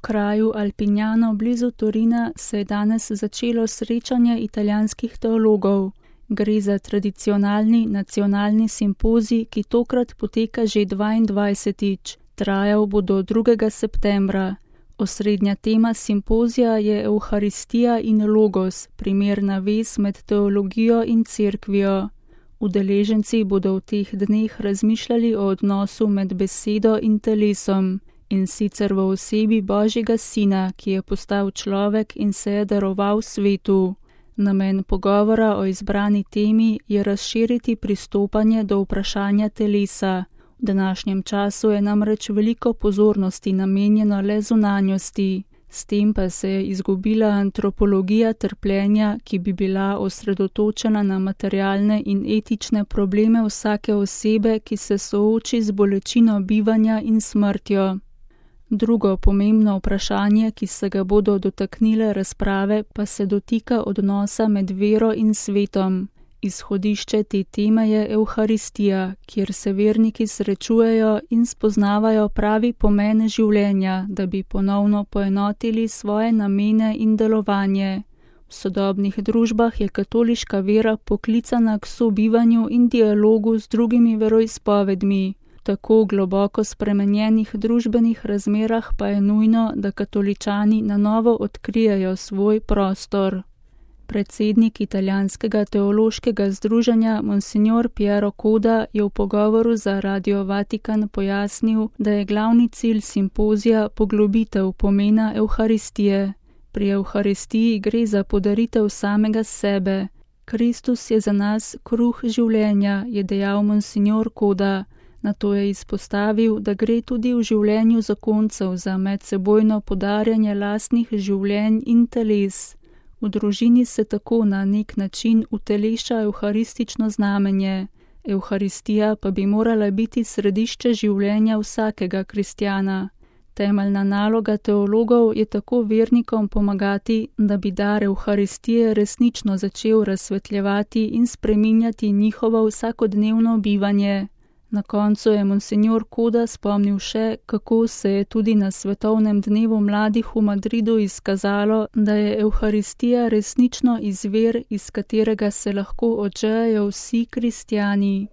kraju Alpignano blizu Torina se je danes začelo srečanje italijanskih teologov. Gre za tradicionalni nacionalni simpozij, ki tokrat poteka že 22. Trajal bo do 2. septembra. Osrednja tema simpozija je Evharistija in Logos, primerna vez med teologijo in cerkvijo. Udeleženci bodo v teh dneh razmišljali o odnosu med besedo in telesom, in sicer v osebi Božjega Sina, ki je postal človek in se je daroval svetu. Namen pogovora o izbrani temi je razširiti pristopanje do vprašanja telesa. V današnjem času je namreč veliko pozornosti namenjeno le zunanjosti, s tem pa se je izgubila antropologija trpljenja, ki bi bila osredotočena na materialne in etične probleme vsake osebe, ki se sooči z bolečino bivanja in smrtjo. Drugo pomembno vprašanje, ki se ga bodo dotaknile razprave, pa se dotika odnosa med vero in svetom. Izhodišče te teme je Evharistija, kjer se verniki srečujejo in spoznavajo pravi pomen življenja, da bi ponovno poenotili svoje namene in delovanje. V sodobnih družbah je katoliška vera poklicana k sobivanju in dialogu z drugimi veroizpovedmi. V tako globoko spremenjenih družbenih razmerah pa je nujno, da katoličani na novo odkrijejo svoj prostor. Predsednik italijanskega teološkega združenja Monsignor Piero Coda je v pogovoru za Radio Vatikan pojasnil, da je glavni cilj simpozija poglobitev pomena Evharistije. Pri Evharistiji gre za podaritev samega sebe. Kristus je za nas kruh življenja, je dejal Monsignor Coda. Nato je izpostavil, da gre tudi v življenju zakoncev za medsebojno podarjanje lastnih življenj in teles. V družini se tako na nek način uteleša evharistično znamenje. Evharistija pa bi morala biti središče življenja vsakega kristjana. Temeljna naloga teologov je tako vernikom pomagati, da bi dar Evharistije resnično začel razsvetljevati in spreminjati njihovo vsakodnevno bivanje. Na koncu je Monsignor Coda spomnil še, kako se je tudi na svetovnem dnevu mladih v Madridu izkazalo, da je Evharistija resnično izvir, iz katerega se lahko odžejajo vsi kristjani.